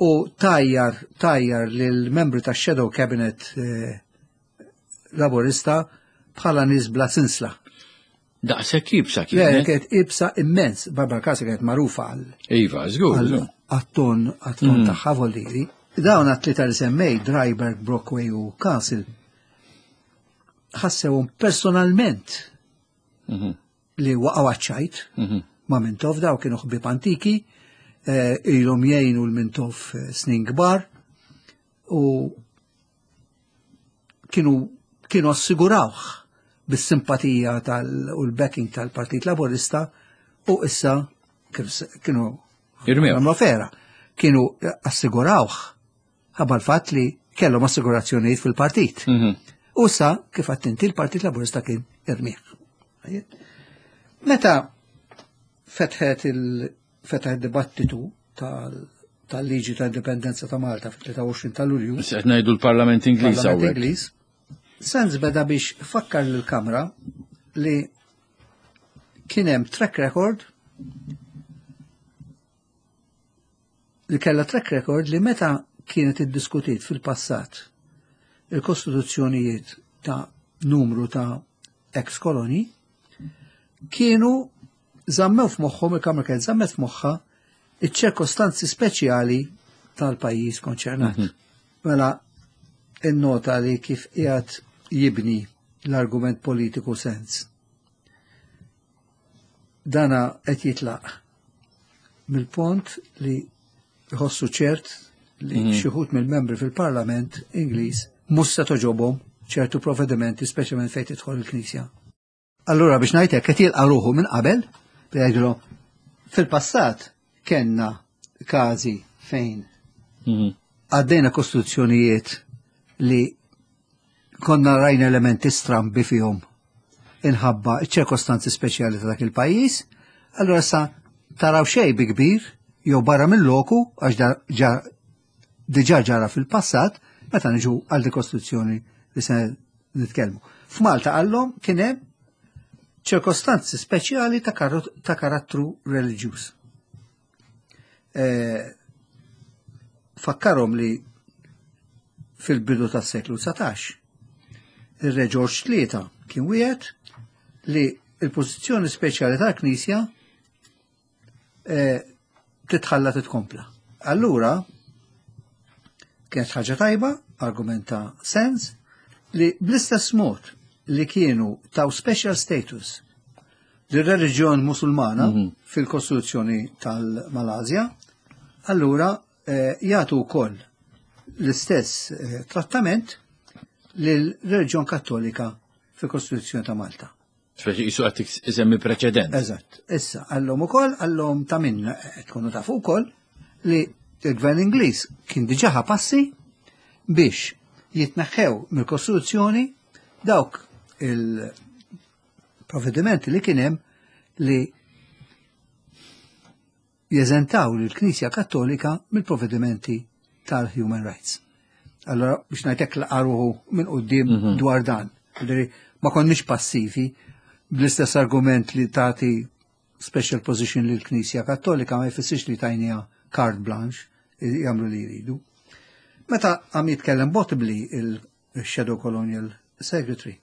U tajjar, tajjar lil membri ta' Shadow Cabinet eh, Laborista bħala nies bla sinsla. Daqshekk ibsa Le, kienet. kienet ibsa immens. Barbara Castle kienet magħrufa għal Iva, żgur. żgur. għat-ton għat-ton tagħha voldiri. Dawn għat-tlieta li semmej, Driberg, Brockway u Castle, ħassewhom personalment Mhm, li waqgħu għaċ-ċajt mhm. ma' Mintoff, daw kienu ħbieb antiki, eh, ilhom jgħinu l-Mintoff eh, snin kbar u kienu kienu assigurawh bis-simpatija tal u l-backing tal-Partit Laborista u issa kif se- kienu Irmew. għamlu fera, kienu assigurawh ħabba l-fatt li kellhom assigurazzjonijiet fil-partit. Mhm. U sa kif attenti l-Partit Laburista kien irmieħ. Meta fetħet il fetaħ il-dibattitu tal- tal-liġi ta' indipendenza ta' Malta fit-tlieta u għoxrin ta' Lulju, Issa qed ngħidu l-Parlament Ingliż Parlament hawnhekk. Ingliż, Sands beda biex fakkar lill-Kamra li kien hemm track record li kella track record li meta kienet iddiskutit fil-passat il-kostituzzjonijiet ta' numru ta' ex-koloni kienu zammew f'moħħhom, il-Kamra kienet zammet f'moħħha iċ-ċirkostanzi speċjali tal-pajjiż konċernat. Mela, innota li kif qiegħed jibni l-argument politiku Sands. Dana qed jitlaq mill-pont li jħossu ċert li Mhm. xi wħud mill-membri fil-Parlament Ingliż mhux se toġobhom ċertu provvedimenti, speċjalment fejn tidħol il-Knisja. Allura biex ngħidlek qed jilqa' ruħu minn qabel li jgħidlu fil-passat kellna każi fejn Mhm. għaddejna kostituzzjonijiet li konna rajna elementi strambi fihom inħabba ċirkostanzi speċjali ta' dak il-pajjiż, allura sa taraw xej bi kbir jew barra mill-loku għax da ġa- diġà ġara fil-passat meta niġu għal di kostituzzjoni li se nitkellmu. F'Malta għallhom kien hemm ċirkostanzi speċjali ta' kar- ta' karattru reliġjuż. Eh, fakkarhom li fil-bidu tas-seklu dsatax ir-Re George Tlieta kien wieħed li il-pożizzjoni speċjali tal-Knisja eh, titħalla titkompla. Allura kienet ħaġa tajba, argumenta Sands, li bl-istess mod li kienu taw special status lir-reliġjon musulmana fil-Kostituzzjoni tal-Malazja, allura eh, jagħtu wkoll l-istess eh, trattament lill-reliġjon kattolika fil-Kostituzzjoni ta' Malta. Speċi jisu qed isemmi preċedent. Eżatt. Issa, għallhom ukoll, għallhom ta' minn eh, tkunu tafu wkoll li il-Gvern Ingliż kien diġà ħa passi biex jitneħħew mill-Kostituzzjoni dawk il-provvedimenti li kien hemm li Jeżentaw lill-Knisja Kattolika mill-provvedimenti tal-Human Rights. Allora, biex ngħidlek, laqa' ruħu minn quddiem mhm. dwar dan. Ma konniex passivi. Bl-istess argument li tagħti special position lill-Knisja Kattolika ma jfissirx li tajnieha carte blanche jagħmlu li jridu. Meta għam jitkellem Bottomley, il-Shadow Colonial Secretary,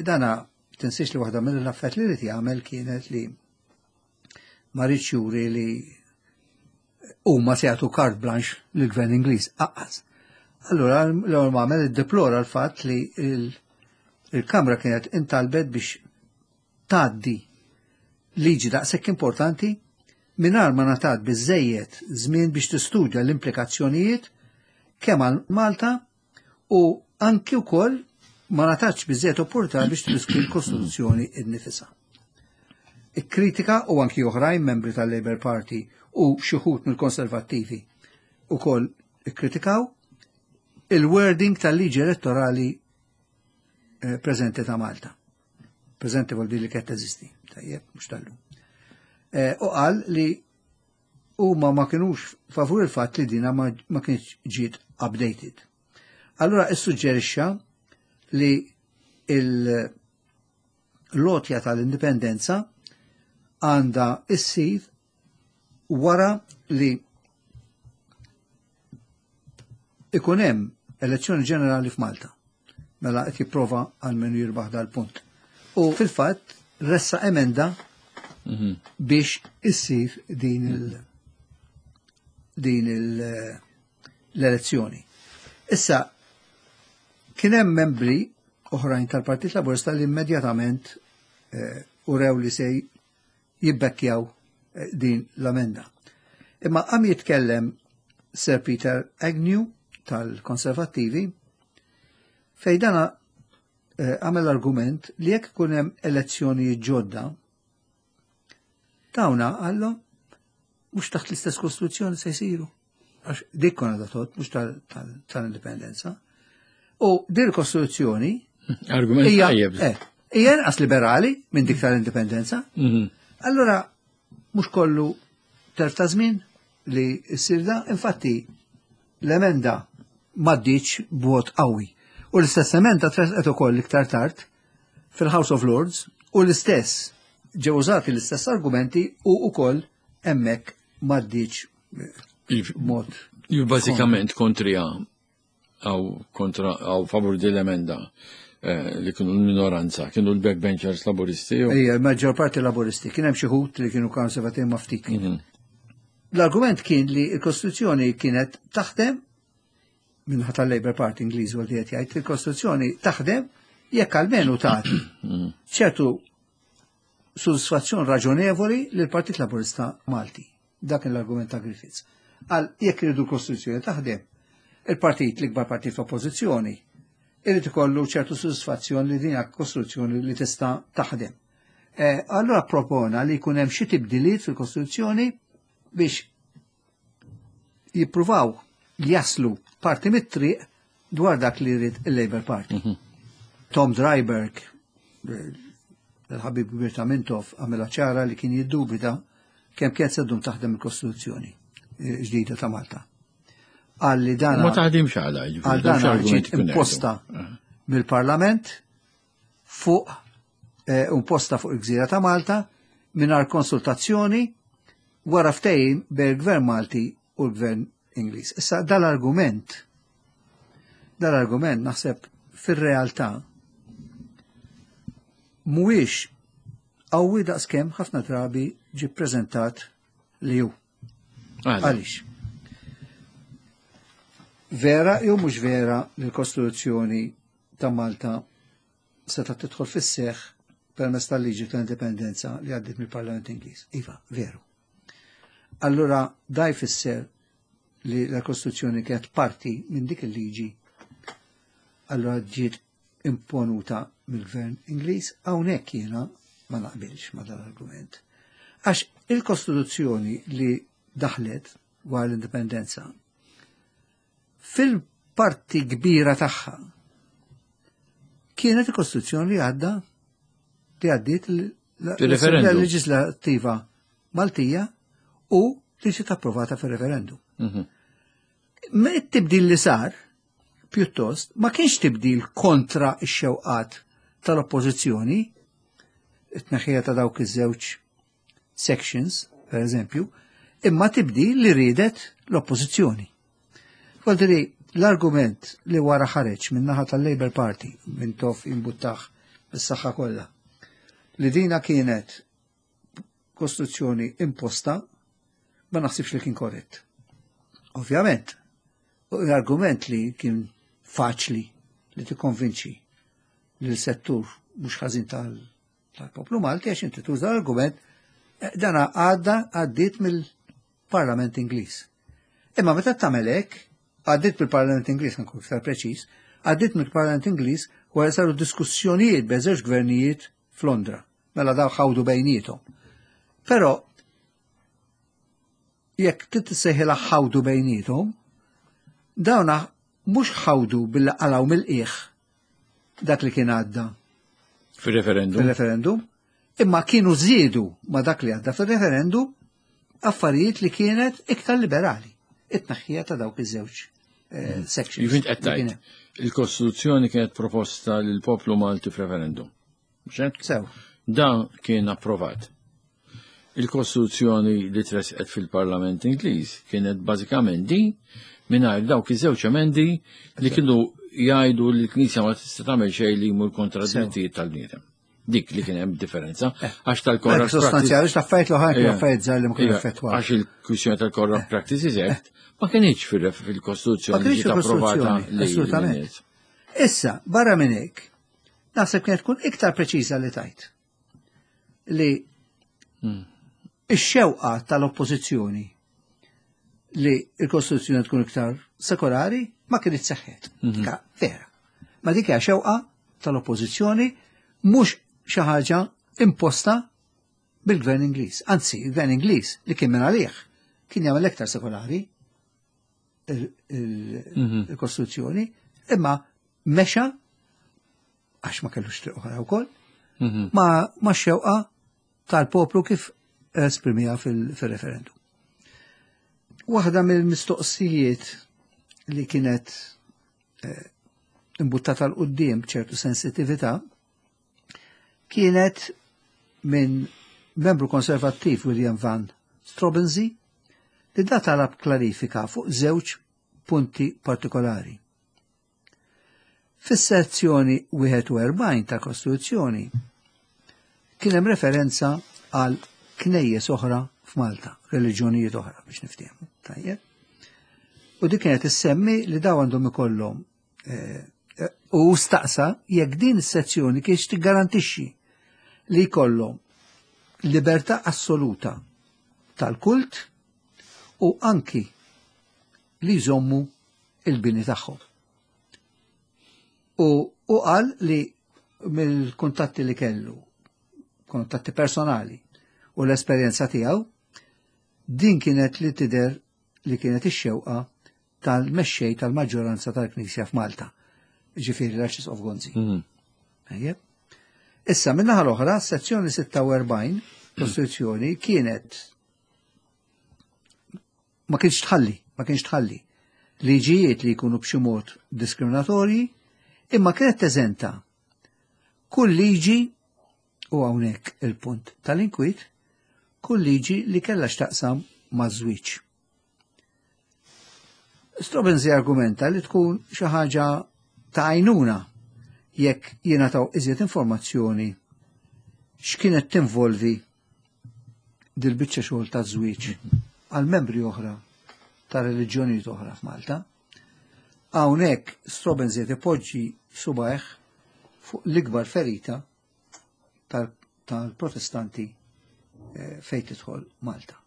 dana tinsiex li waħda mill-affarijiet li ried jagħmel kienet li ma riedx juri li huma se jagħtu carte blanche lill-Gvern Ingliż aqqas. Allura l-ewwel ma għamel, iddeplora l-fatt li il-Kamra kienet intalbet biex tgħaddi liġi daqshekk importanti mingħajr ma ngħatat biżejjed żmien biex tistudja l-implikazzjonijiet kemm għal Malta u anki wkoll ma ngħatatx biżejjed opportunità biex tiddiskuti l-Kostituzzjoni innifisha. Ikkritika, u anki oħrajn membri tal-Labour Party u xi wħud mill-Konservattivi ukoll ikkritikaw il-wording tal-liġi elettorali eh, preżenti ta' Malta. Preżenti vuol li kienet teżisti, tajjeb, mhux tal-lum. Eh, u qal li huma ma kienux favur il-fatt li dina ma, ma kienx ġiet updated. Allura issuġġerixxa li l-għotja tal-indipendenza għandha issir wara li ikun hemm elezzjoni ġenerali f'Malta. Mela qed jipprova għalmenu jirbaħ dal-punt. U fil-fatt ressaq emenda mhm. biex issir din il din l-elezzjoni. Issa kien hemm membri oħrajn tal-Partit Laburista li immedjatament eh, urew li se jibbekkjaw eh, din l-amenda. Imma għam jitkellem Sir Peter Agnew tal-Konservattivi, fej dana eh, għamel argument li jekk ikun hemm elezzjoni ġodda, dawna għallu mhux taħt l-istess kostituzzjoni se jsiru. Għax dik konna datot, mhux tal-indipendenza. U din il-kostituzzjoni Argument tajjeb. Eh, hija inqas liberali minn dik tal-indipendenza. Mhm. Allora, mhux kollu telf ta' żmien li ssir da, infatti l-emenda m'għaddietx b'vot qawwi. U l-istess emenda tressqet ukoll iktar tard fil-House of Lords u l-istess ġew użati l-istess argumenti u ukoll hemmhekk m'għaddietx b'mod. Bażikament kontrija għaw kontra għaw favur din l-emenda eh, li kienu l-minoranza, kienu l-backbenchers Laburisti. Ija, l-maġġor parti Laburisti, kien hemm xi wħud li kienu konservativi, ma ftit. Mhm. L-argument kien li l-Kostituzzjoni kienet taħdem minħat tal-Labour Party Ingliż u qed jgħid il-Kostituzzjoni taħdem jekk almenu tagħti mhm. ċertu soddisfazzjon raġonevoli lil Partit Laburista Malti. Dak l-argument ta' Griffiths. Għal jekk iridu l-Kostituzzjoni taħdem, il-partit, l-ikbar partit f'oppożizzjoni, irid ikollu ċertu soddisfazzjon li din kostruzzjoni li tista' taħdem. Eh, allora propona li jkun hemm xi tibdiliet fil-Kostituzzjoni biex jippruvaw jaslu parti mit-triq dwar dak li jrid il-Labour Party. Mhm. Tom Driberg, il-ħabib kbir ta' Mintoff, għamela ċara li kien jiddubita kemm kienet se ddum taħdem il-Kostituzzjoni eh, ġdida ta' Malta. Għal li dan Ma taħdimx għala, għal dan ġiet imposta mill-Parlament fuq eh, imposta fuq il-Gżira ta' Malta mingħajr konsultazzjoni wara ftehim bejn il-Gvern Malti u l-Gvern Ingliż. Issa dal-argument dal-argument naħseb fir-realtà mhuwiex qawwi daqskemm ħafna drabi ġi preżentat li hu. Għaliex? Vera jew mhux vera li l-Kostituzzjoni ta' Malta seta' tidħol fis-seħħ permezz tal-liġi ta' indipendenza li għaddiet mill-Parlament Ingliż? Iva, veru. Allura da jfisser li l-Kostituzzjoni kienet parti minn dik il-liġi, allura ġiet imponuta mill-Gvern Ingliż. Hawnhekk jiena ma naqbilx ma dal-argument. Għax il-Kostituzzjoni li daħlet wara l-indipendenza fil-parti kbira tagħha kienet il-Kostituzzjoni li għadda li għaddiet l-Assemblea Leġislattiva Maltija. u li ġiet approvata fir-referendum. It-tibdil li sar, pjuttost, ma kienx tibdil kontra x-xewqat tal-oppożizzjoni, it-tneħħija ta' dawk iż-żewġ sections, per eżempju, imma tibdil li riedet l-oppożizzjoni. Vuoldiri, l-argument li wara ħareġ minn naħa tal-Labour Party, minn Toff imbuttaħ bis-saħħa kollha, li dina kienet kostruzzjoni imposta, ma naħsibx li kien korrett. Ovvjament, l-argument li kien faċli li tikkonvinċi li l-settur mhux ħażin tal-poplu Malti, għax inti tuża l-argument, dana għadda għaddiet mill-Parlament Ingliż. Imma meta tagħmel hekk, għaddiet mill-Parlament Ingliż, nkun iktar preċiż, għaddiet mill-Parlament Ingliż wara saru diskussjonijiet bejn żewġ gvernijiet f'Londra. Mela daw ħawdu bejniethom. Però jekk titsejħilha ħawdu bejniethom, dawna mhux ħawdu billi qalgħu mill-qiegħ dak li kien għadda fil-referendum. Fil-referendum, imma kienu żiedu ma dak li għadda fil-referendum affarijiet li kienet iktar liberali. It-tneħħija ta' dawk iż-żewġ eh, sections. Jifint qed tgħid, il-Kostituzzjoni kienet proposta lil poplu Malti f'referendum. Sew. Dan kien approvat. Il-Kostituzzjoni li tresqet fil-Parlament Ingliż kienet bażikament din mingħajr dawk iż-żewġ emendi li kienu jgħidu li l-Knisja ma tista' tagħmel xejn li jmur kontra d-drittijiet tal-bniedem. Dik li kien hemm differenza għax tal-Corrupt Sostanzjali, l-affarijiet l-oħra kienu affarijiet żgħar li ma kienu effettwati. Għax il-kwistjoni tal-Corrupt Practices Act ma kienx fil-Kostituzzjoni ġiet approvata. Assolutament. Issa, barra minn hekk, naħseb kienet tkun iktar preċiża li tajt li ix-xewqa tal-oppożizzjoni li l-Kostituzzjoni tkun iktar sekolari ma kienet seħħet. Dika vera. Ma dik hija xewqa tal-oppożizzjoni, mhux xi ħaġa imposta bil-Gvern Ingliż. Anzi, il-Gvern Ingliż li kien minn għalih kien jagħmel iktar sekolari il-Kostituzzjoni, imma mexa għax ma kellux triq oħra wkoll, ma ma xewqa tal-poplu kif esprimija fil-referendum. Waħda mill-mistoqsijiet li kienet imbuttata 'l quddiem ċertu sensitività kienet minn membru konservattiv William Van Straubenzee li da talab klarifika fuq żewġ punti partikolari. Fis-sezzjoni wieħed u erbgħin tal-Kostituzzjoni kien hemm referenza għal knejjes oħra f'Malta, reliġjonijiet oħra biex niftehmu. Tajjeb. U dik kienet issemmi li daw għandhom ikollhom eh, u staqsa jekk din is-sezzjoni kienx tiggarantixxi li jkollhom libertà assoluta tal-kult u anki li jżommu il-bini tagħhom. U u qal li mill-kuntatti li kellu, kuntatti personali u l-esperjenza tiegħu, din kienet li tidher li kienet ix-xewqa tal-mexxej tal-maġġoranza tal-Knisja f'Malta, ġifieri l-Arċisqof Gonzi. Tajjeb. Issa, minnaħa l-oħra, sezzjoni sitta u erbgħin Kostituzzjoni kienet ma kienx tħalli, ma kienx tħalli liġijiet li jkunu b'xi mod diskriminatorji, imma kienet teżenta kull liġi, u hawnhekk il-punt tal-inkwit, kull liġi li kellha x'taqsam maż-żwieġ. Straubenzee argumenta li tkun xi ħaġa ta' għajnuna jekk jingħataw iżjed informazzjoni x'kienet tinvolvi dil-biċċa xogħol ta' żwieġ għal membri oħra ta' reliġjonijiet oħra f'Malta. Hawnhekk Straubenzee ipoġġi subajh fuq l-ikbar ferita tal-Protestanti eh, fejn tidħol Malta.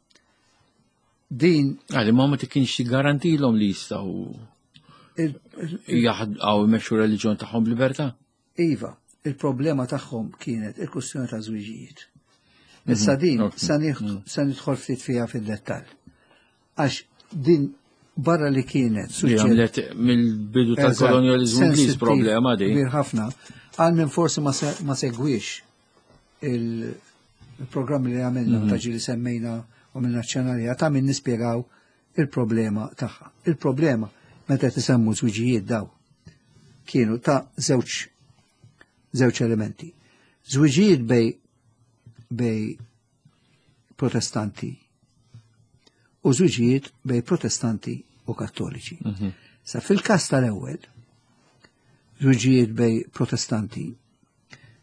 Din Għali, ma ma kienx garantilhom li jistgħu jaħdqaw imexxu reliġjon tagħhom b'libertà. Iva, il-problema tagħhom kienet il-kwestjoni ta' żwiġijiet. Issa din sa nidħol ftit fiha fid-dettall. Għax din barra li kienet Li għamlet mill-bidu tal-kolonjalizmu Ingliż problema di. Kbir ħafna. Għal minn forsi ma segwix il-programmi li għamilna ta' ġili semmejna u minna ċenarja ta' min nispjegaw il-problema tagħha. Il-problema meta tisemmu żwiġijiet daw kienu ta' żewġ żewġ elementi. Żwiġijiet bej bej protestanti u żwiġijiet bej protestanti u kattoliċi. Mm -hmm. Sa fil-każ tal-ewwel, żwiġijiet bej protestanti,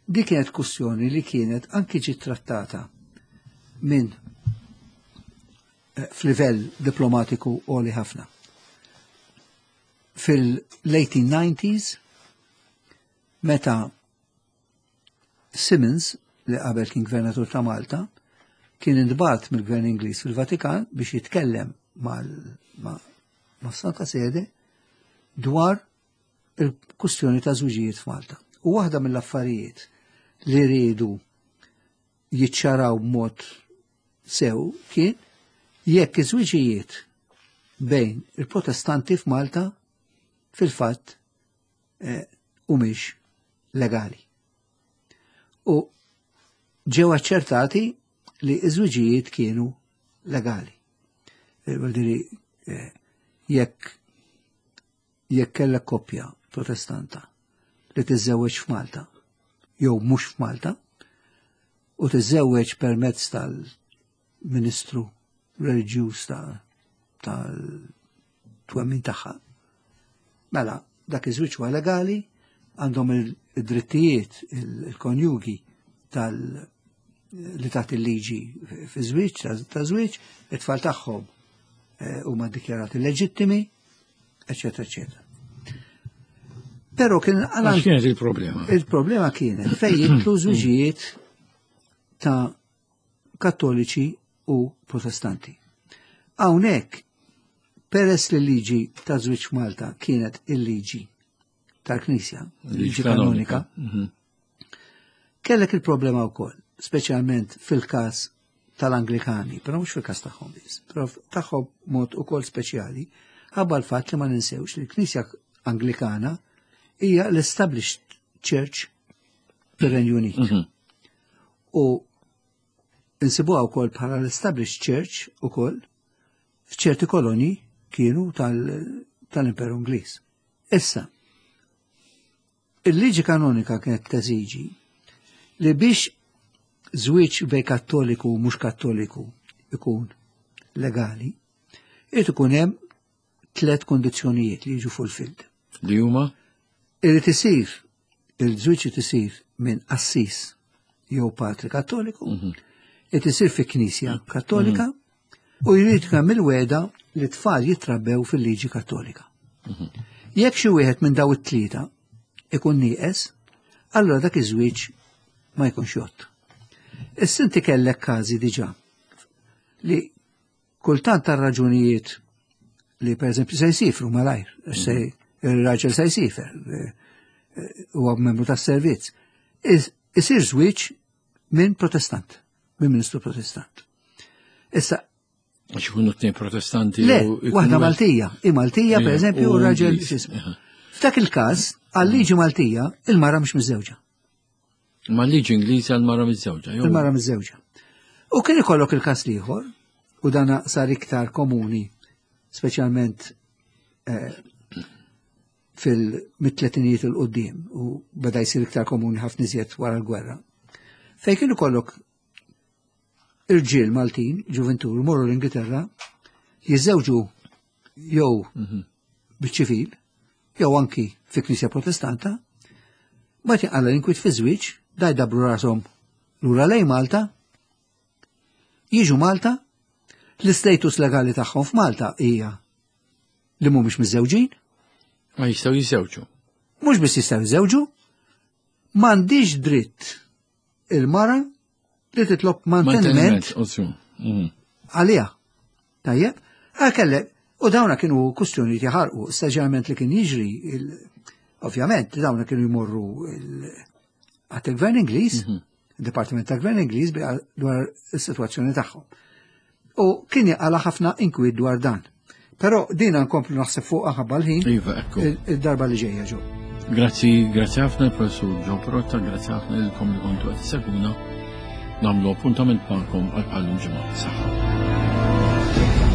di kienet kwestjoni li kienet anki ġiet trattata minn eh, f'livell diplomatiku għoli ħafna. Fil-eighteen nineties, meta Simmons, li qabel kien gvernatur ta' Malta, kien intbagħat mill-Gvern Ingliż fil-Vatikan biex jitkellem ma' Santa Sede dwar il-kustjoni ta' żwiġijiet f'Malta. U waħda mill-affarijiet li riedu jiċċaraw b'mod sew kien jekk iż-żwiġijiet bejn il-Protestanti f'Malta fil-fatt humiex legali. U ġew aċċertati li iż-żwiġijiet kienu legali. Vuol dire, jekk jekk kellek koppja protestanta li tiżżewweġ f'Malta jew mhux f'Malta u tiżżewweġ permezz tal-ministru reliġjuż tal-twemmin tagħha, mela dak iż-żwieġ huwa legali, għandhom id-drittijiet il-konjugi tal li taħt il-liġi fi żwieġ ta' żwieġ, it-tfal tagħhom huma ddikjarati leġittimi, eċetera, eċetera. Però kien għal kienet il-problema? Il-problema kienet fejn jidħlu żwiġijiet ta' kattoliċi u protestanti. Hawnhekk, peress li l-liġi ta' żwieġ Malta kienet il-liġi tal-Knisja, il-liġi kanonika, kellek il-problema wkoll, speċjalment fil-każ tal-Anglikani, però mhux fil-każ tagħhom biss, però tagħhom mod ukoll speċjali, ħabba l-fatt li ma ninsewx li l-Knisja Anglikana hija l-established church fir-Renju Unit. U insibuha wkoll bħala l-established church ukoll f'ċerti kolonji kienu tal-Imperu Ingliż. Issa, il-liġi kanonika kienet teżiġi li biex żwieġ bej kattoliku u mhux kattoliku ikun legali, irid ikun hemm tliet kondizzjonijiet li jiġu fulfilled. Li huma? Irid isir il-żwieġ irid isir minn qassis jew patri kattoliku, irid isir fi knisja kattolika u jrid ikun hemm il-weda li tfal jitrabbew fil-liġi kattolika. Jekk xi wieħed minn daw it-tlieta ikun nieqes, allura dak iż-żwieġ ma jkunx jgħodd. Issa inti kellek każi diġà li kultant tar raġunijiet li pereżempju se jsifru malajr, se il-raġel se jsifer, huwa membru tas-servizz, isir żwieġ minn protestant, minn ministru protestant. Issa għax ikunu tnejn protestanti. Le, waħda Maltija, i Maltija pereżempju u raġel. F'dak il-każ, għal-liġi Maltija, il-mara mhux miżżewġa. Ma l-liġi Ingliża l-mara miżżewġa. Il-mara miżżewġa. U kien ikollok il-każ ieħor, u dana sar iktar komuni, speċjalment fil-mit-tletinijiet il-qoddim, u beda jsir iktar komuni ħafna iżjed wara l-gwerra. Fejn kien ikollok irġiel Maltin, ġuventur, morru l-Ingilterra, jiżżewġu jew biċ-ċivil, jew anki fi knisja protestanta, ma tinqala l-inkwiet fi żwieġ, da jdabru rashom lura lejn Malta, jiġu Malta, l-istatus legali tagħhom f'Malta hija li mhumiex miżżewġin. Ma jistgħu jiżżewġu. Mhux biss jistgħu jiżżewġu, m'għandix dritt il-mara li titlob manteniment għaliha. Tajjeb, kellek, u dawna kienu kustjoni jaħarqu, speċjalment li kien jiġri, ovvjament, dawna kienu jmorru għat il-Gvern Ingliż, il-Dipartiment tal-Gvern Ingliż dwar is-sitwazzjoni tagħhom. U kien jaqala ħafna inkwiet dwar dan. Però dina nkomplu naħseb fuq ħabba l-ħin id-darba li ġejja ġo. Grazzi, grazzi ħafna il-Professur Joe Pirotta, grazzi ħafna lilkom li kontu qed issegwuna. Nagħmlu appuntament magħkom għal bħal ġimgħa. Saħħa. Thank you.